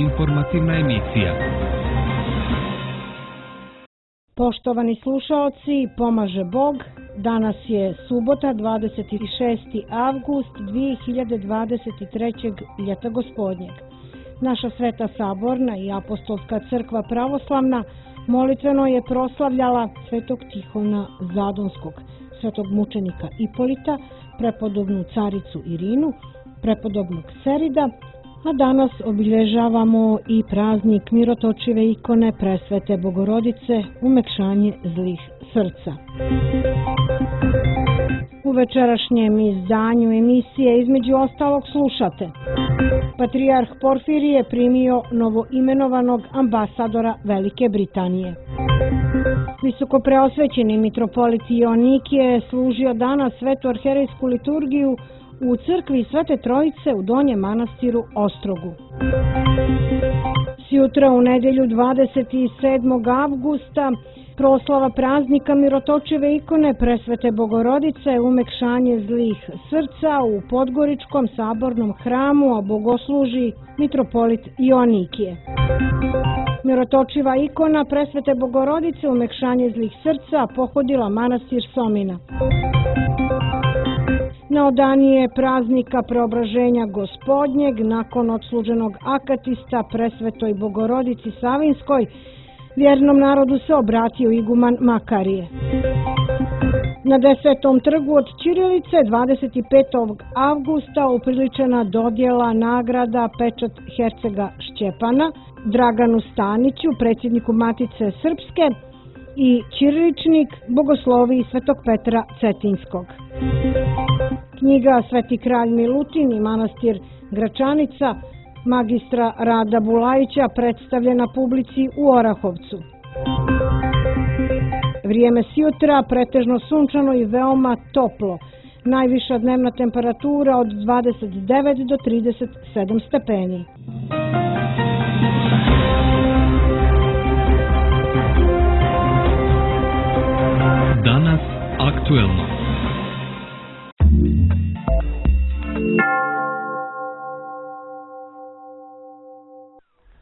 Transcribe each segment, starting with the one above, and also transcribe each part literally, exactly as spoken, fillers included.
Informativna emisija. Poštovani slušaoci, pomaže Bog. Danas je subota, dvadeset šesti avgust dve hiljade dvadeset treće. ljeta gospodnjeg. Naša Sveta Saborna i Apostolska crkva pravoslavna molitveno je proslavljala Svetog Tihona Zadonskog, svetog mučenika Ipolita, prepodobnu caricu Irinu, prepodobnog Serida, a danas obilježavamo i praznik mirotočive ikone Presvete Bogorodice, umekšanje zlih srca. U večerašnjem izdanju emisije između ostalog slušate: Patrijarh Porfirije primio novoimenovanog ambasadora Velike Britanije. Visokopreosvećeni mitropolit Joanikije je služio danas svetu arherejsku liturgiju u crkvi Svete Trojice u Donjem manastiru Ostrogu. Sjutra u nedelju dvadeset sedmog avgusta proslava praznika mirotočive ikone Presvete Bogorodice, umekšanje zlih srca u Podgoričkom sabornom hramu, a bogosluži mitropolit Joanikije. Mirotočiva ikona Presvete Bogorodice, umekšanje zlih srca, pohodila manastir Somina. Na odanije praznika Preobraženja Gospodnjeg, nakon odsluženog akatista Presvetoj Bogorodici Savinskoj, vjernom narodu se obratio iguman Makarije. Na Desetom trgu od ćirilice dvadeset petog avgusta upriličena dodjela nagrada Pečat hercega Šćepana Draganu Staniću, predsjedniku Matice Srpske, i ćiriličnik bogosloviji Svetog Petra Cetinskog. Knjiga Sveti kralj Milutin i manastir Gračanica magistra Rada Bulajića predstavljena publici u Orahovcu. Vrijeme sjutra pretežno sunčano i veoma toplo. Najviša dnevna temperatura od dvadeset devet do trideset sedam stepeni. Danas aktuelno.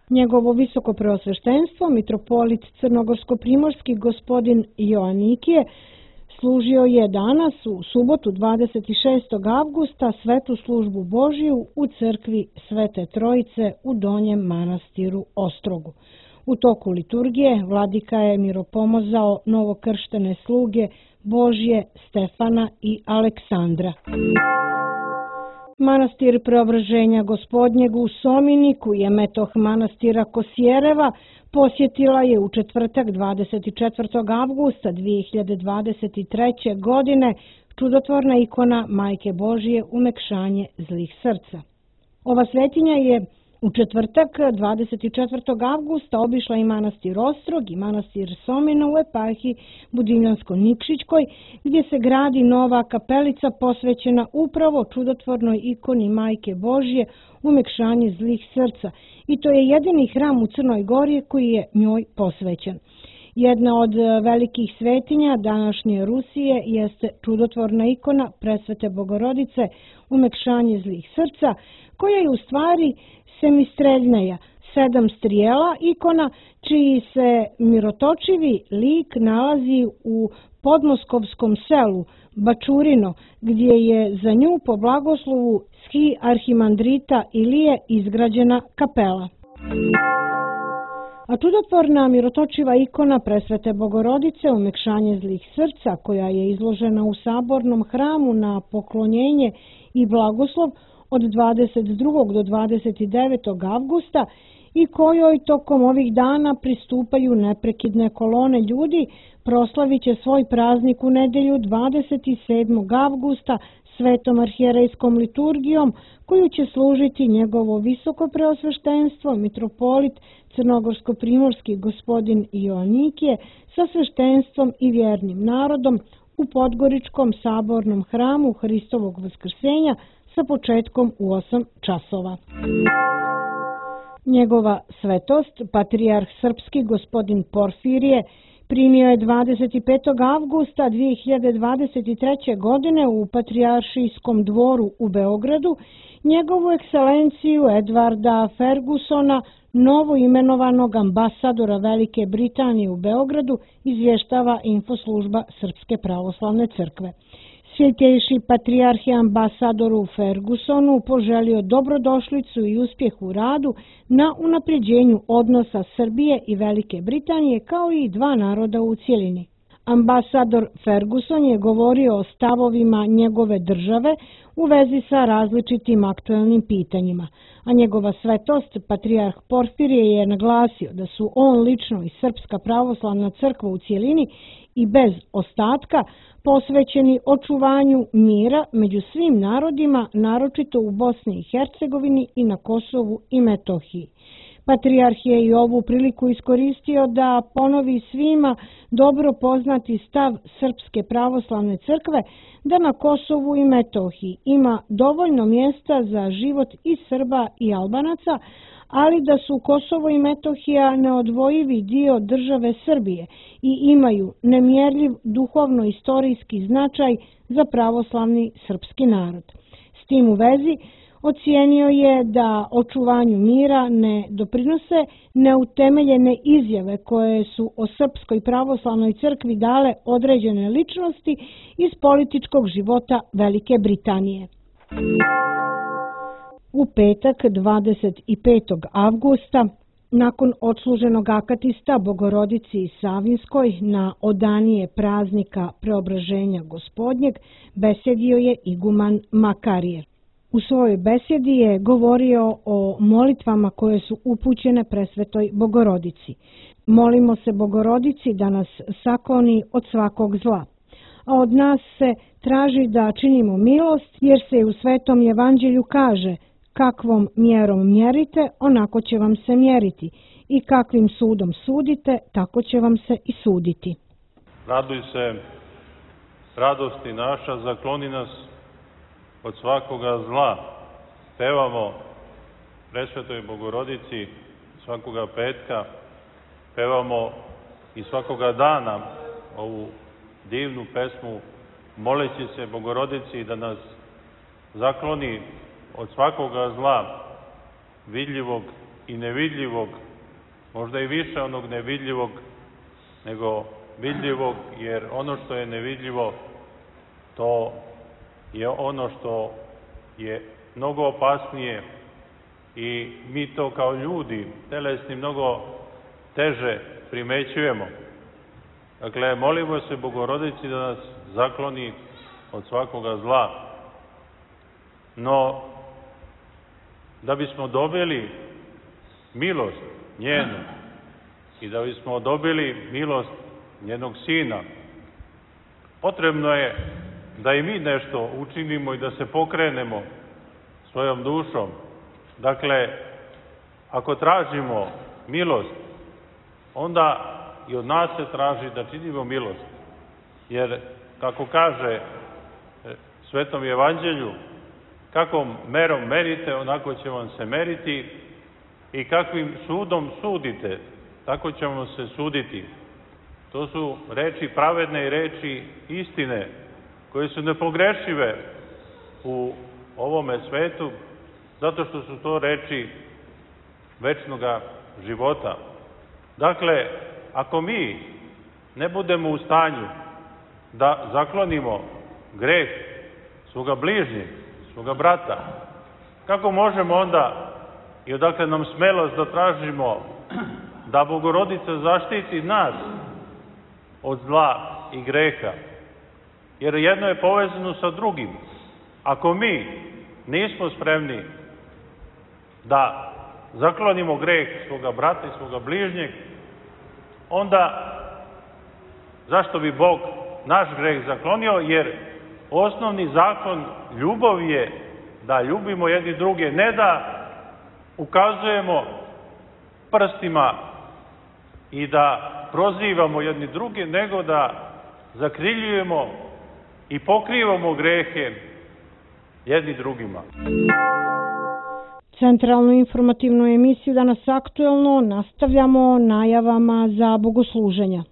Njegovo visoko preosveštenstvo, mitropolit crnogorsko-primorski gospodin Joanikije, služio je danas u subotu dvadeset šestog avgusta svetu službu Božiju u crkvi Svete Trojice u Donjem manastiru Ostrogu. U toku liturgije vladika je miropomozao novokrštene sluge Božje Stefana i Aleksandra. Manastir Preobraženja Gospodnjeg u Sominiku je metoh manastira Kosjereva posjetila je u četvrtak dvadeset četvrtog avgusta dve hiljade dvadeset treće. godine čudotvorna ikona Majke Božje, umekšanje zlih srca. Ova svetinja je u četvrtak dvadeset četvrtog avgusta obišla i manastir Ostrog i manastir Somina u eparhiji Budimljansko-Nikšićkoj, gdje se gradi nova kapelica posvećena upravo čudotvornoj ikoni Majke Božje, umekšanje zlih srca, i to je jedini hram u Crnoj Gori koji je njoj posvećen. Jedna od velikih svetinja današnje Rusije jeste čudotvorna ikona Presvete Bogorodice, umekšanje zlih srca, koja je u stvari semistreljnaja, sedam strijela ikona, čiji se mirotočivi lik nalazi u podmoskovskom selu Bačurino, gdje je za nju po blagoslovu ski arhimandrita Ilije izgrađena kapela. A čudotvorna mirotočiva ikona Presvete Bogorodice, umekšanje zlih srca, koja je izložena u sabornom hramu na poklonjenje i blagoslov od dvadeset drugog do dvadeset devetog avgusta i kojoj tokom ovih dana pristupaju neprekidne kolone ljudi, proslavit će svoj praznik u nedelju dvadeset sedmog avgusta svetom arhijerejskom liturgijom, koju će služiti njegovo visoko preosveštenstvo, mitropolit crnogorsko-primorski gospodin Joanikije sa sveštenstvom i vjernim narodom u Podgoričkom sabornom hramu Hristovog vaskrsenja sa početkom u osam časova. Njegova svetost, patrijarh srpski gospodin Porfirije, primio je dvadeset petog avgusta dve hiljade dvadeset treće. godine u Patrijaršijskom dvoru u Beogradu njegovu ekscelenciju Edvarda Fergusona, novo imenovanog ambasadora Velike Britanije u Beogradu, izvještava infoslužba Srpske pravoslavne crkve. Svjetejši patrijarh je ambasadoru Fergusonu poželio dobrodošlicu i uspjeh u radu na unapređenju odnosa Srbije i Velike Britanije kao i dva naroda u cjelini. Ambasador Ferguson je govorio o stavovima njegove države u vezi sa različitim aktuelnim pitanjima, a njegova svetost, patrijarh Porfirije, je naglasio da su on lično i Srpska pravoslavna crkva u cjelini i bez ostatka posvećeni očuvanju mira među svim narodima, naročito u Bosni i Hercegovini i na Kosovu i Metohiji. Patrijarh je i ovu priliku iskoristio da ponovi svima dobro poznati stav Srpske pravoslavne crkve da na Kosovu i Metohiji ima dovoljno mjesta za život i Srba i Albanaca, ali da su Kosovo i Metohija neodvojivi dio države Srbije i imaju nemjerljiv duhovno-istorijski značaj za pravoslavni srpski narod. S tim u vezi ocijenio je da očuvanju mira ne doprinose neutemeljene izjave koje su o Srpskoj pravoslavnoj crkvi dale određene ličnosti iz političkog života Velike Britanije. U petak dvadeset petog avgusta, nakon odsluženog akatista Bogorodici Savinskoj na odanije praznika Preobraženja Gospodnjeg, besedio je iguman Makarije. U svojoj besedi je govorio o molitvama koje su upućene Presvetoj Bogorodici. Molimo se Bogorodici da nas sakloni od svakog zla, a od nas se traži da činimo milost, jer se u Svetom Evanđelju kaže: kakvom mjerom mjerite, onako će vam se mjeriti, i kakvim sudom sudite, tako će vam se i suditi. Raduj se, radosti naša, zakloni nas od svakoga zla. Pevamo Presvetoj Bogorodici svakoga petka, pevamo i svakoga dana ovu divnu pesmu, moleći se Bogorodici da nas zakloni od svakoga zla, vidljivog i nevidljivog, možda i više onog nevidljivog nego vidljivog, jer ono što je nevidljivo, to je ono što je mnogo opasnije i mi to kao ljudi telesni mnogo teže primećujemo. Dakle, molimo se Bogorodici da nas zakloni od svakoga zla. No, da bismo dobili milost njenu i da bismo dobili milost njenog Sina, potrebno je da i mi nešto učinimo i da se pokrenemo svojom dušom. Dakle, ako tražimo milost, onda i od nas se traži da činimo milost. Jer, kako kaže Svetom Evanđelju, kakvom merom merite, onako će vam se meriti, i kakvim sudom sudite, tako će vam se suditi. To su reči pravedne i reči istine, koje su nepogrešive u ovome svetu, zato što su to reči večnoga života. Dakle, ako mi ne budemo u stanju da zaklonimo greh svoga bližnjeg, svoga brata, kako možemo onda i odakle nam smelost da tražimo da Bogorodica zaštiti nas od zla i greha? Jer jedno je povezano sa drugim. Ako mi nismo spremni da zaklonimo greh svoga brata i svoga bližnjeg, onda zašto bi Bog naš greh zaklonio? Jer osnovni zakon ljubavi je da ljubimo jedni druge, ne da ukazujemo prstima i da prozivamo jedni druge, nego da zakriljujemo i pokrivamo grehe jedni drugima. Centralnu informativnu emisiju Danas aktuelno nastavljamo najavama za bogosluženja.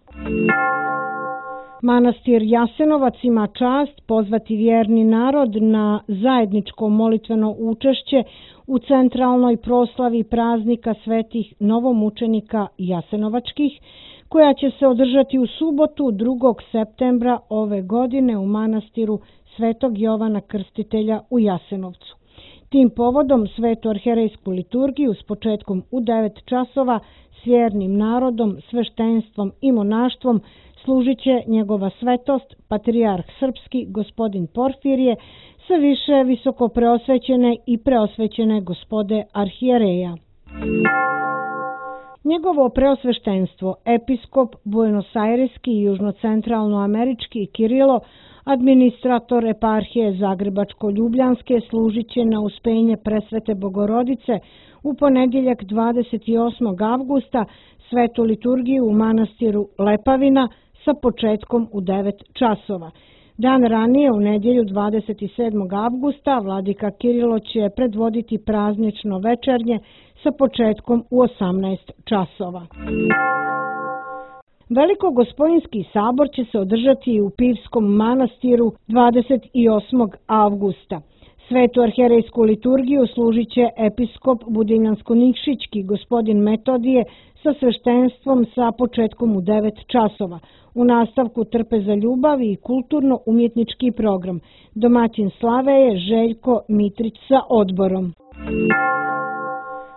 Manastir Jasenovac ima čast pozvati vjerni narod na zajedničko molitveno učešće u centralnoj proslavi praznika svetih novomučenika Jasenovačkih, koja će se održati u subotu drugog septembra ove godine u manastiru Svetog Jovana Krstitelja u Jasenovcu. Tim povodom svetu arherejsku liturgiju s početkom u devet časova s vjernim narodom, sveštenstvom i monaštvom služit će njegova svetost, patrijarh srpski gospodin Porfirije, sa više visoko preosvećene i preosvećene gospode arhijereja. Njegovo preosveštenstvo, episkop buenosajreski i južnocentralnoamerički Kirilo, administrator eparhije Zagrebačko-Ljubljanske, služit će na uspenje presvete Bogorodice u ponedjeljak dvadeset osmog avgusta svetu liturgiju u manastiru Lepavina sa početkom u devet časova. Dan ranije, u nedjelju dvadeset sedmog avgusta, vladika Kirilo će predvoditi praznično večernje sa početkom u osamnaest časova. Velikogospojinski sabor će se održati u Pivskom manastiru dvadeset osmog avgusta. Svetu arherejsku liturgiju služit će episkop Budinjansko-Nikšićki gospodin Metodije sa sveštenstvom sa početkom u devet časova. U nastavku Trpeza ljubavi i kulturno-umjetnički program. Domaćin slave je Željko Mitrić sa odborom.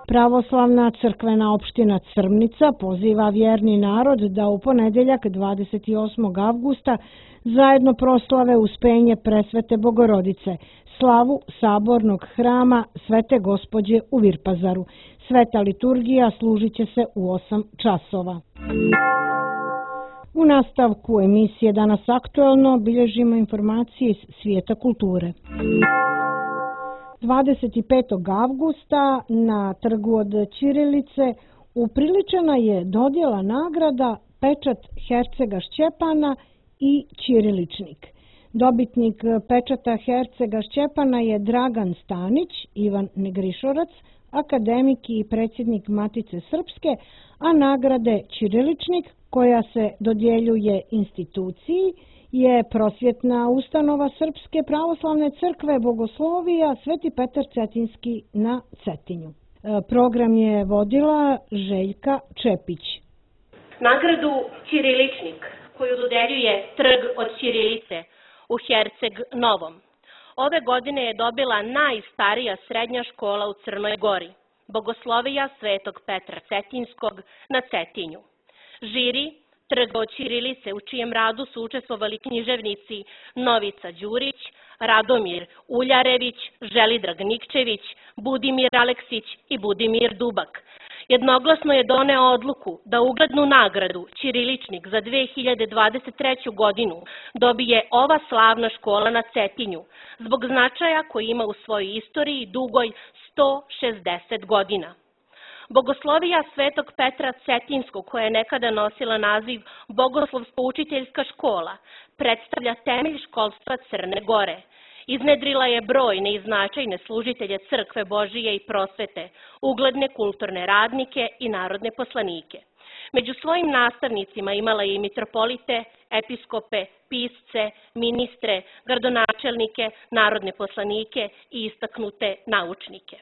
Pravoslavna crkvena opština Crmnica poziva vjerni narod da u ponedjeljak dvadeset osmog avgusta zajedno proslave uspenje presvete Bogorodice, slavu sabornog hrama Svete Gospođe u Virpazaru. Sveta liturgija služit će se u osam časova. U nastavku emisije Danas aktuelno bilježimo informacije iz svijeta kulture. dvadeset petog avgusta na trgu od Ćirilice upriličena je dodjela nagrada Pečat Hercega Šćepana i Ćiriličnik. Dobitnik pečata Hercega Šćepana je Dragan Stanić, Ivan Negrišorac, akademik i predsjednik Matice Srpske, a nagrade Ćiriličnik, koja se dodjeljuje instituciji, je prosvjetna ustanova Srpske pravoslavne crkve Bogoslovija Sveti Petar Cetinski na Cetinju. Program je vodila Željka Čepić. Nagradu Ćiriličnik, koju dodeljuje Trg od Ćirilice u Herceg Novom, ove godine je dobila najstarija srednja škola u Crnoj Gori, Bogoslovija Svetog Petra Cetinskog na Cetinju. Žiri Trga od Ćirilice, u čijem radu su učestvovali književnici Novica Đurić, Radomir Uljarević, Želidrag Nikčević, Budimir Aleksić i Budimir Dubak, jednoglasno je doneo odluku da uglednu nagradu Ćiriličnik za dve hiljade dvadeset treću. godinu dobije ova slavna škola na Cetinju, zbog značaja koji ima u svojoj istoriji dugoj sto šezdeset godina. Bogoslovija Svetog Petra Cetinskog, koja je nekada nosila naziv Bogoslovsko-učiteljska škola, predstavlja temelj školstva Crne Gore. Iznedrila je brojne i značajne služitelje Crkve Božije i prosvete, ugledne kulturne radnike i narodne poslanike. Među svojim nastavnicima imala je i mitropolite, episkope, pisce, ministre, gradonačelnike, narodne poslanike i istaknute naučnike.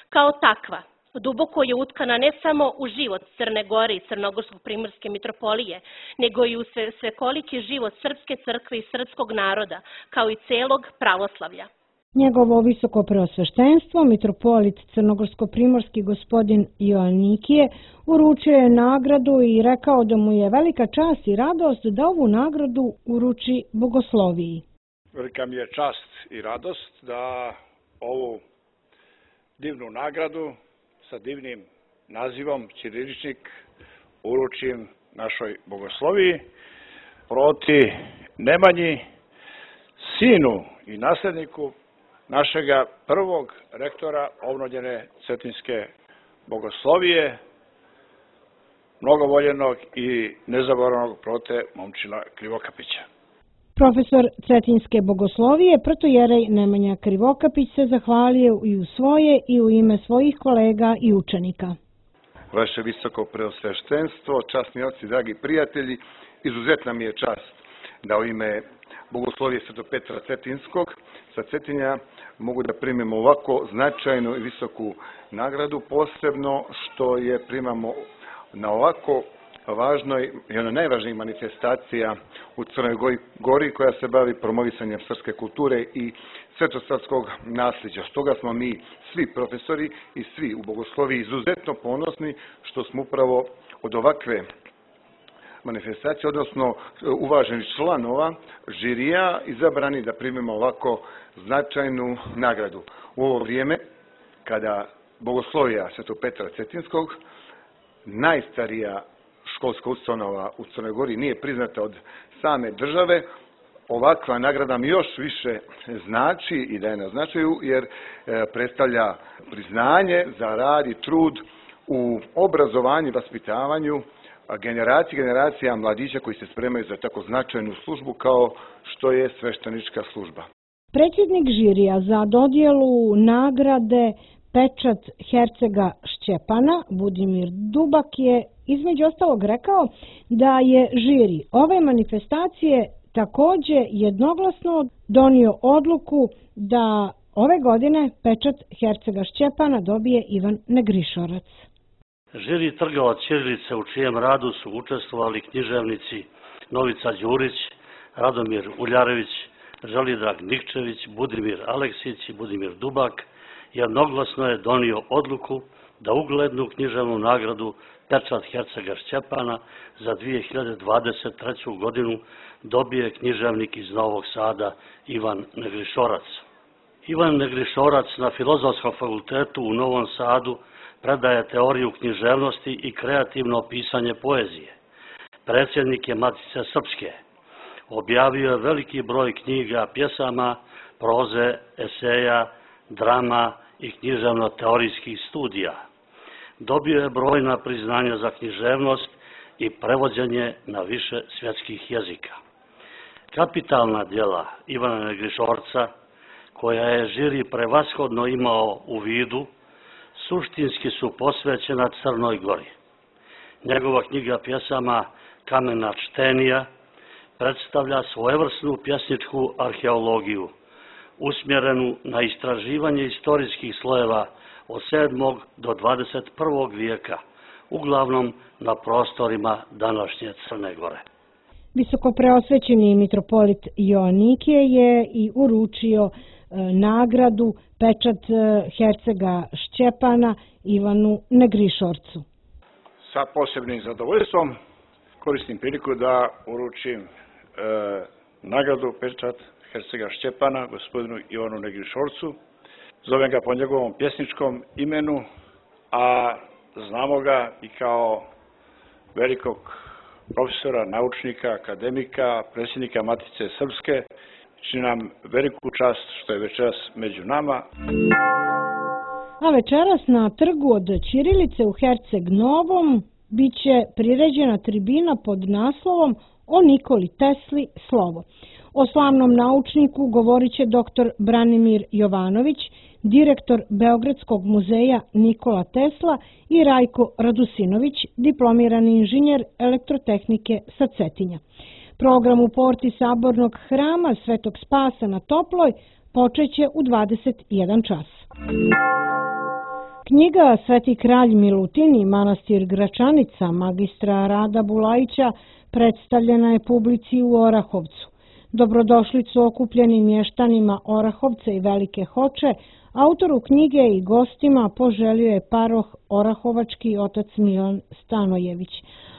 Kao takva, duboko je utkana ne samo u život Crne Gore i Crnogorsko-primorske mitropolije, nego i u svekoliki život Srpske crkve i srpskog naroda, kao i celog pravoslavlja. Njegovo visoko preosveštenstvo, mitropolit Crnogorsko-primorski gospodin Joannikije, uručio je nagradu i rekao da mu je velika čast i radost da ovu nagradu uruči Bogosloviji. Velika mi je čast i radost da ovu divnu nagradu sa divnim nazivom Ćiriličnik uručim našoj Bogosloviji, proti Nemanji, sinu i nasledniku našega prvog rektora obnovljene Cetinske Bogoslovije, mnogo voljenog i nezaboravnog prote Momčila Krivokapića. Profesor Cetinske Bogoslovije, protojerej Nemanja Krivokapić, se zahvalio i u svoje i u ime svojih kolega i učenika. Vaše visoko preosveštenstvo, časni oci, dragi prijatelji, izuzetna mi je čast da u ime Bogoslovije Svetog Petra Cetinskog sa Cetinja mogu da primimo ovako značajnu i visoku nagradu, posebno što je primamo na ovako važnoj i ona najvažnijih manifestacija u Crnoj Gori koja se bavi promovisanjem srpske kulture i svetosavskog nasljeđa. Stoga smo mi svi profesori i svi u Bogosloviji izuzetno ponosni što smo upravo od ovakve manifestacije, odnosno uvaženih članova žirija izabrani da primimo ovako značajnu nagradu. U ovo vrijeme kada Bogoslovija Svetog Petra Cetinskog, najstarija školska ustanova u Crnoj Gori, nije priznata od same države, ovakva nagrada mi još više znači i daje na značaju jer predstavlja priznanje za rad i trud u obrazovanju i vaspitavanju generacija generacija mladića koji se spremaju za tako značajnu službu kao što je sveštenička služba. Predsjednik žirija za dodjelu nagrade Pečat hercega Šćepana, Budimir Dubak, je između ostalog rekao da je žiri ove manifestacije također jednoglasno donio odluku da ove godine Pečat hercega Šćepana dobije Ivan Negrišorac. Žiri trga od ćirilice u čijem radu su učestvovali književnici Novica Đurić, Radomir Uljarević, Želidrag Nikčević, Budimir Aleksić i Budimir Dubak, jednoglasno je donio odluku da uglednu književnu nagradu Pečat hercega Šćepana za dvije hiljade dvadeset treću. godinu dobije književnik iz Novog Sada Ivan Negrišorac. Ivan Negrišorac na Filozofskom fakultetu u Novom Sadu predaje teoriju književnosti i kreativno pisanje poezije. Predsjednik je Matice Srpske. Objavio je veliki broj knjiga, pjesama, proze, eseja, drama i književno-teorijskih studija. Dobio je brojna priznanja za književnost i prevođenje na više svjetskih jezika. Kapitalna djela Ivana Negrišorca, koja je žiri prevashodno imao u vidu, suštinski su posvećena Crnoj Gori. Njegova knjiga pjesama Kamena čtenija predstavlja svojevrsnu pjesničku arheologiju, usmjerenu na istraživanje istorijskih slojeva od sedmog do dvadeset prvog vijeka, uglavnom na prostorima današnje Crne Gore. Visokopreosvećeni mitropolit Joanikije je i uručio nagradu Pečat hercega Šćepana Ivanu Negrišorcu. Sa posebnim zadovoljstvom koristim priliku da uručim e, nagradu Pečat hercega Šćepana gospodinu Ivanu Negrišorcu. Zovem ga po njegovom pjesničkom imenu, a znamo ga i kao velikog profesora, naučnika, akademika, predsjednika Matice Srpske. Čini nam veliku čast što je večeras među nama. A večeras na trgu od ćirilice u Herceg Novom biće priređena tribina pod naslovom O Nikoli Tesli slovo. O slavnom naučniku govorit će doktor Branimir Jovanović, direktor Beogradskog muzeja Nikola Tesla, i Rajko Radusinović, diplomirani inženjer elektrotehnike sa Cetinja. Program u porti Sabornog hrama Svetog Spasa na Toploj počeće u dvadeset jedan čas. Knjiga Sveti kralj Milutin i manastir Gračanica magistra Rada Bulajića predstavljena je publici u Orahovcu. Dobrodošlicu okupljenim mještanima Orahovca i Velike Hoče, autoru knjige i gostima poželio je paroh orahovački otac Milan Stanojević,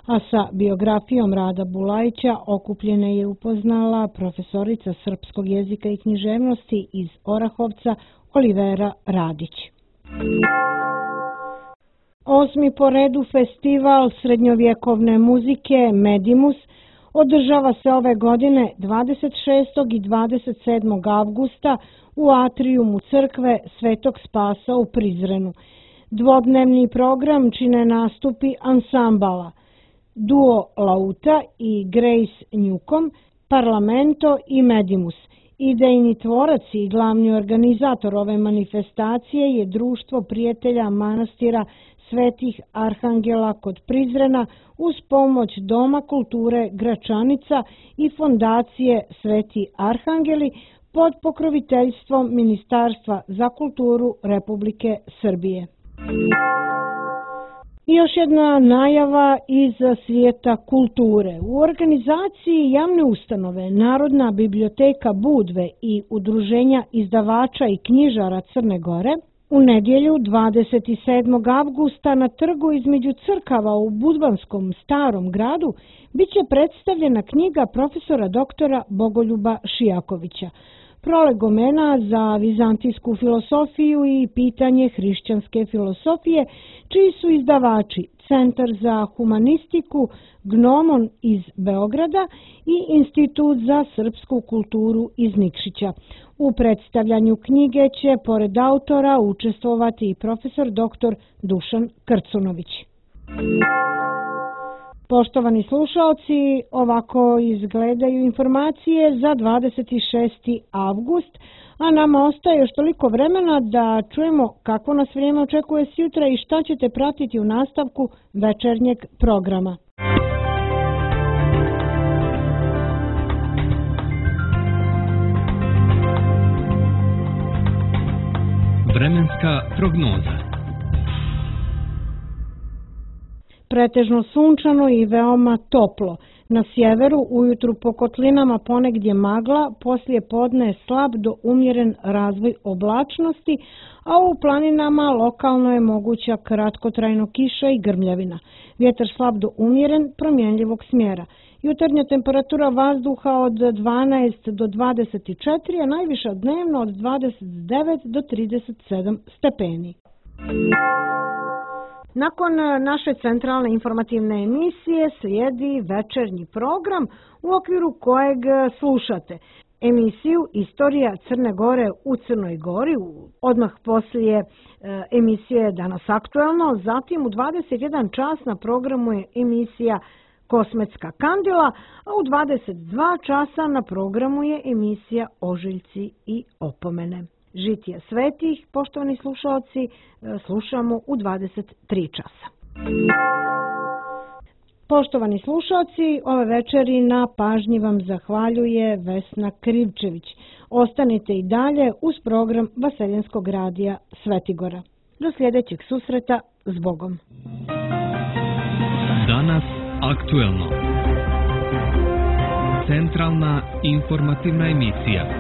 a sa biografijom Rada Bulajića okupljene je upoznala profesorica srpskog jezika i književnosti iz Orahovca Olivera Radić. Osmi po redu festival srednjovjekovne muzike Medimus održava se ove godine dvadeset šestog i dvadeset sedmog avgusta u atrijumu crkve Svetog Spasa u Prizrenu. Dvodnevni program čine nastupi ansambala Duo Lauta i Grace Newcomb, Parlamento i Medimus. Idejni tvorac i glavni organizator ove manifestacije je Društvo prijatelja manastira Svetih Arhangela kod Prizrena uz pomoć Doma kulture Gračanica i fondacije Sveti Arhangeli pod pokroviteljstvom Ministarstva za kulturu Republike Srbije. I još jedna najava iz svijeta kulture. U organizaciji javne ustanove Narodna biblioteka Budve i Udruženja izdavača i knjižara Crne Gore u nedjelju dvadeset sedmog avgusta na trgu između crkava u Budvanskom Starom gradu biće predstavljena knjiga profesora doktora Bogoljuba Šijakovića Prolegomena za vizantijsku filosofiju i pitanje hrišćanske filosofije, čiji su izdavači Centar za humanistiku Gnomon iz Beograda i Institut za srpsku kulturu iz Nikšića. U predstavljanju knjige će pored autora učestvovati i profesor doktor Dušan Krcunović. Poštovani slušaoci, ovako izgledaju informacije za dvadeset šesti avgust, a nama ostaje još toliko vremena da čujemo kako nas vrijeme očekuje sjutra i šta ćete pratiti u nastavku večernjeg programa. Vremenska prognoza. Pretežno sunčano i veoma toplo. Na sjeveru ujutru po kotlinama ponegdje magla, poslije podne slab do umjeren razvoj oblačnosti, a u planinama lokalno je moguća kratkotrajno kiša i grmljavina. Vjetar slab do umjeren, promjenljivog smjera. Jutarnja temperatura vazduha od dvanaest do dvadeset četiri, a najviša dnevno od dvadeset devet do trideset sedam stepeni. Nakon naše centralne informativne emisije slijedi večernji program u okviru kojeg slušate emisiju Istorija Crne Gore u Crnoj Gori, odmah poslije emisije Danas aktuelno, zatim u dvadeset jedan čas na programu je emisija Kosmetska kandila, a u dvadeset dva časa na programu je emisija Ožiljci i opomene. Žitije svetih, poštovani slušalci, slušamo u dvadeset tri časa. Poštovani slušalci, ove večeri na pažnji vam zahvaljuje Vesna Krivčević. Ostanite i dalje uz program Vaseljenskog radija Svetigora. Do sljedećeg susreta, s Bogom. Danas aktuelno. Centralna informativna emisija.